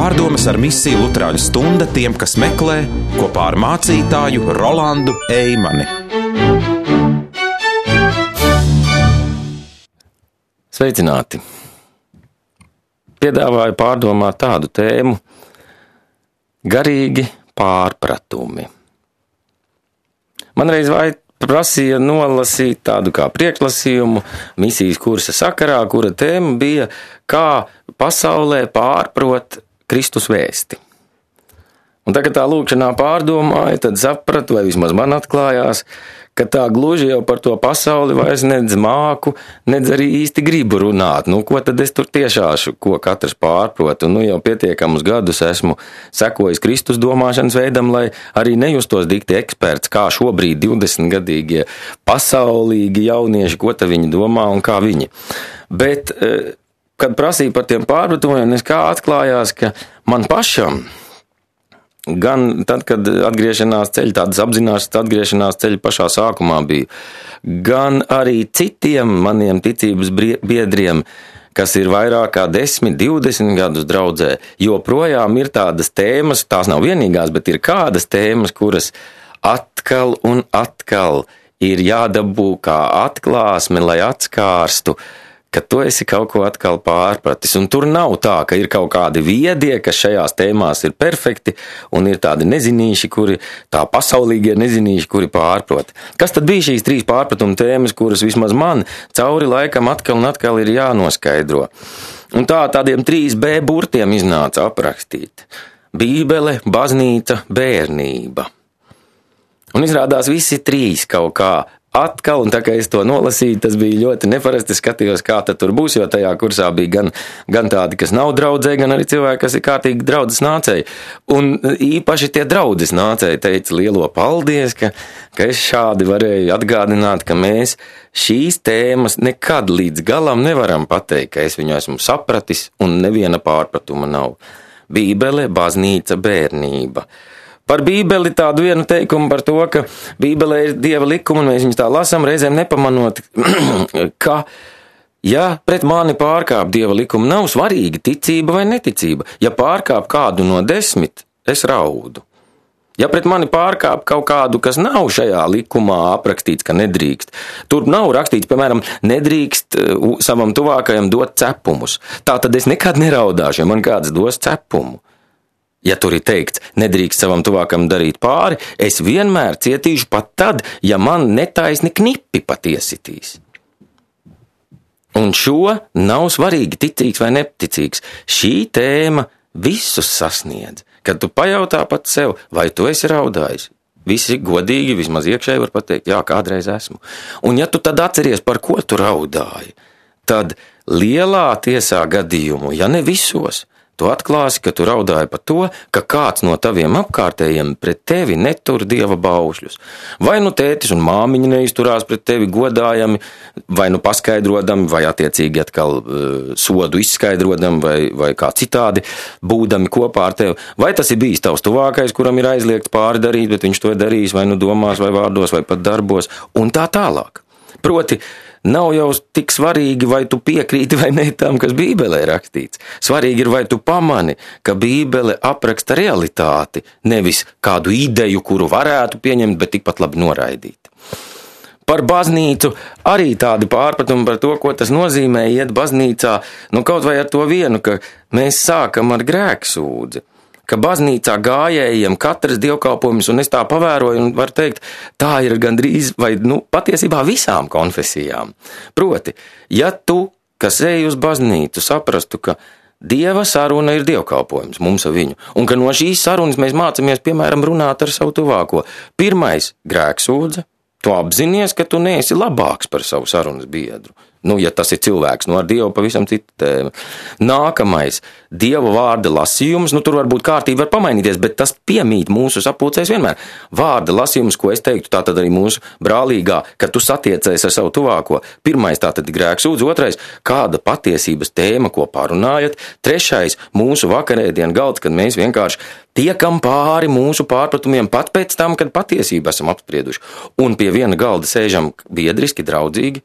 Pārdomas ar misiju Luterāņu stunda tiem, kas meklē, kopā ar mācītāju Rolandu Eimani. Sveicināti! Piedāvāju pārdomāt tādu tēmu – garīgi pārpratumi. Man reiz prasīja nolasīt tādu kā priekšlasījumu misijas kursa sakarā, kura tēma bija, kā pasaulē pārprot Kristus vēsti. Un tagad tā lūkšanā pārdomāju, tad sapratu, vai vismaz man atklājās, ka tā gluži jau par to pasauli vairs nedz māku, nedz arī īsti gribu runāt. Ko tad es tur tiešāšu, ko katrs pārprot? Un jau pietiekamus gadus esmu sekojis Kristus domāšanas veidam, lai arī nejustos dikti eksperts, kā šobrīd 20-gadīgie pasaulīgi jaunieši, ko tad viņi domā un kā viņi. Bet, kad prasīju par tiem pārpratumiem, es kā atklājās, ka man pašam, gan tad, kad atgriešanās ceļi, tādas apzināšanas atgriešanās ceļi pašā sākumā bija, gan arī citiem maniem ticības biedriem, kas ir vairāk kā 10, 20 gadus draudzē, joprojām ir tādas tēmas, tās nav vienīgās, bet ir kādas tēmas, kuras atkal un atkal ir jādabū kā atklāsme, lai atskārstu, ka tu esi kaut ko atkal pārpratis. Un tur nav tā, ka ir kaut kādi viedie, kas šajās tēmās ir perfekti, un ir tādi nezinīši, tā pasaulīgie nezinīši, kuri pārprot. Kas tad bija šīs 3 pārpratuma tēmas, kuras vismaz man cauri laikam atkal un atkal ir jānoskaidro? Un tādiem 3B burtiem iznāca aprakstīt. Bībele, baznīca, bērnība. Un izrādās visi 3 kaut kā atkal, un tā kā es to nolasīju, tas bija ļoti neparasti, skatījos, kā tad tur būs, jo tajā kursā bija gan tādi, kas nav draudzē, gan arī cilvēki, kas ir kārtīgi draudzes nācēji. Un īpaši tie draudzes nācēji teica lielo paldies, ka es šādi varēju atgādināt, ka mēs šīs tēmas nekad līdz galam nevaram pateikt, ka es viņu esmu sapratis un neviena pārpratuma nav. Bībele, baznīca, bērnība. Par Bībeli tādu vienu teikumu par to, ka Bībelē ir Dieva likumi, un mēs viņus tā lasām, reizēm nepamanot, ka, ja pret mani pārkāp Dieva likumi, nav svarīgi ticība vai neticība. Ja pārkāp kādu no 10, es raudu. Ja pret mani pārkāp kaut kādu, kas nav šajā likumā aprakstīts, ka nedrīkst, tur nav rakstīts, piemēram, nedrīkst savam tuvākajam dot cepumus. Tā tad es nekad neraudāšu, ja man kāds dos cepumu. Ja tur ir teikts, nedrīkst savam tuvākam darīt pāri, es vienmēr cietīšu pat tad, ja man netaisni knipi pat iesitīs. Un šo nav svarīgi ticīgs vai neticīgs. Šī tēma visus sasniedz. Kad tu pajautā pat sev, vai tu esi raudājis, visi godīgi, vismaz iekšēji var pateikt, jā, kādreiz esmu. Un ja tu tad atceries, par ko tu raudāji, tad lielā tiesā gadījumu, ja ne visos, tu atklāsi, ka tu raudāji par to, ka kāds no taviem apkārtējiem pret tevi netur Dieva baušļus. Vai nu tētis un māmiņa neizturās pret tevi godājami, vai nu paskaidrodami, vai attiecīgi atkal sodu izskaidrodami, vai kā citādi būdami kopā ar tevi. Vai tas ir bijis tavs tuvākais, kuram ir aizliegts pāri darīt, bet viņš to ir darījis vai nu domās, vai vārdos, vai pat darbos, un tā tālāk. Proti, nav jau tik svarīgi, vai tu piekrīti vai ne tam, kas Bībelē rakstīts. Svarīgi ir, vai tu pamani, ka Bībele apraksta realitāti, nevis kādu ideju, kuru varētu pieņemt, bet tikpat labi noraidīt. Par baznīcu arī tādi pārpratumi par to, ko tas nozīmē iet baznīcā, kaut vai ar to vienu, ka mēs sākam ar grēksūdzi. Ka baznīcā gājējiem katrs dievkalpojums, un es tā pavēroju, un var teikt, tā ir gandrīz, vai patiesībā visām konfesijām. Proti, ja tu, kas ej uz baznīcu, saprastu, ka Dieva saruna ir dievkalpojums mums ar viņu, un ka no šīs sarunas mēs mācamies, piemēram, runāt ar savu tuvāko. Pirmais – grēksūdze, tu apzinies, ka tu neesi labāks par savu sarunas biedru. Ja tas ir cilvēks, ar Dievu pavisam cita tēma. Nākamais – Dieva vārda lasījums, tur varbūt kārtība var pamainīties, bet tas piemīt mūsu sapulcēs vienmēr. Vārda lasījums, ko es teiktu, tātad arī mūsu brālīgā, kad tu satiecies ar savu tuvāko. Pirmais – tātad grēksūdze, otrais – kāda patiesības tēma, ko pārunājat. Trešais – mūsu vakarēdienu galds, kad mēs vienkārši tiekam pāri mūsu pārpratumiem pat pēc tam, kad patiesību esam apsprieduši. Un pie viena galda sēžam biedriski, draudzīgi.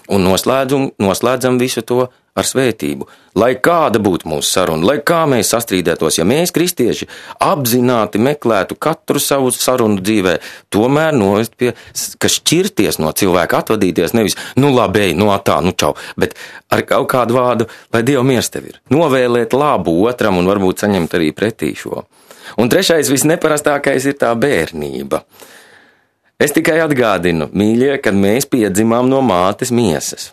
Un noslēdzam visu to ar svētību, lai kāda būtu mūsu saruna, lai kā mēs sastrīdētos, ja mēs, kristieši, apzināti meklētu katru savu sarunu dzīvē, tomēr novest pie, ka šķirties no cilvēka, atvadīties nevis, labi, ej, tā, čau, bet ar kaut kādu vārdu, lai Dieva miers tev ir, novēlēt labu otram un varbūt saņemt arī pretī šo. Un trešais, visneparastākais ir tā bērnība. Es tikai atgādinu, mīļie, kad mēs piedzimām no mātes miesas.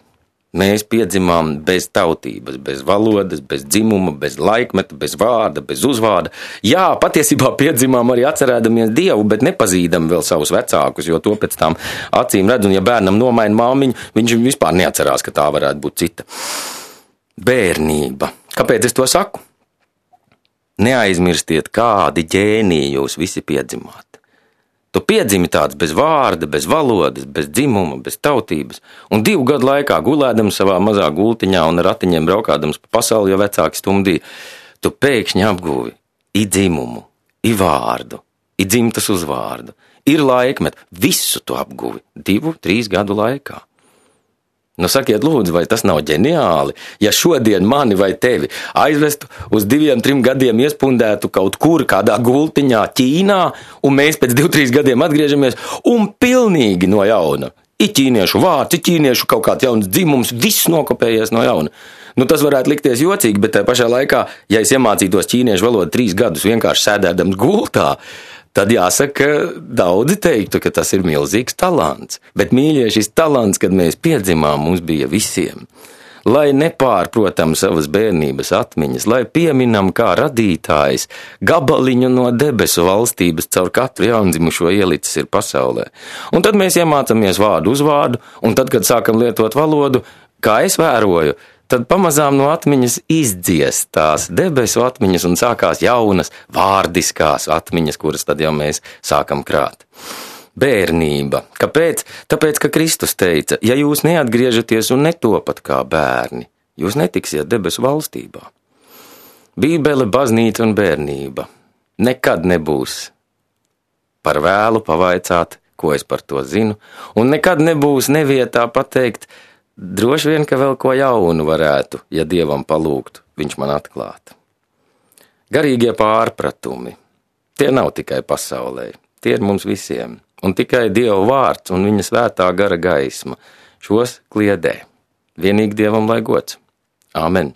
Mēs piedzimām bez tautības, bez valodas, bez dzimuma, bez laikmeta, bez vārda, bez uzvārda. Jā, patiesībā piedzimām arī atcerēdamies Dievu, bet nepazīdam vēl savus vecākus, jo to pēc tām acīm redz, un ja bērnam nomaina māmiņu, viņš vispār neatcerās, ka tā varētu būt cita. Bērnība. Kāpēc es to saku? Neaizmirstiet, kādi ģēniji jūs visi piedzimāt. Tu piedzimi tāds bez vārda, bez valodas, bez dzimuma, bez tautības, un 2 gadu laikā gulēdams savā mazā gultiņā un ar ratiņiem braukādams pa pasauli, jo vecāki stumdīja, tu pēkšņi apguvi i dzimumu, i vārdu, i dzimtas uzvārdu, ir laikmet, visu tu apguvi 2-3 gadu laikā. Sakiet lūdzu, vai tas nav ģeniāli, ja šodien mani vai tevi aizvestu uz 2-3 gadiem iespundētu kaut kur kādā gultiņā Ķīnā, un mēs pēc 2-3 gadiem atgriežamies un pilnīgi no jauna. I ķīniešu vārds, i ķīniešu kaut kāds jauns dzimums, viss nokopējies no jauna. Tas varētu likties jocīgi, bet tajā pašā laikā, ja es iemācītos ķīniešu valodu 3 gadus vienkārši sēdēdams gultā, tad jāsaka, daudzi teiktu, ka tas ir milzīgs talants. Bet, mīļie, šis talants, kad mēs piedzimām, mums bija visiem. Lai nepārprotam savas bērnības atmiņas, lai pieminam kā radītājs gabaliņu no debesu valstības caur katru jaundzimušo ielicis ir pasaulē. Un tad mēs iemācāmies vārdu uz vārdu, un tad, kad sākam lietot valodu, kā es vēroju, tad pamazām no atmiņas izdziest tās debesu atmiņas un sākās jaunas vārdiskās atmiņas, kuras tad jau mēs sākam krāt. Bērnība. Kāpēc? Tāpēc, ka Kristus teica, ja jūs neatgriežaties un netopat kā bērni, jūs netiksiet debesu valstībā. Bībele, baznīca un bērnība nekad nebūs par vēlu pavaicāt, ko es par to zinu, un nekad nebūs nevietā pateikt, droši vien, ka vēl ko jaunu varētu, ja Dievam palūgtu, viņš man atklāt. Garīgie pārpratumi, tie nav tikai pasaulē, tie ir mums visiem, un tikai Dieva vārds un viņa svētā gara gaisma šos kliedē. Vienīgi Dievam lai gods. Āmen.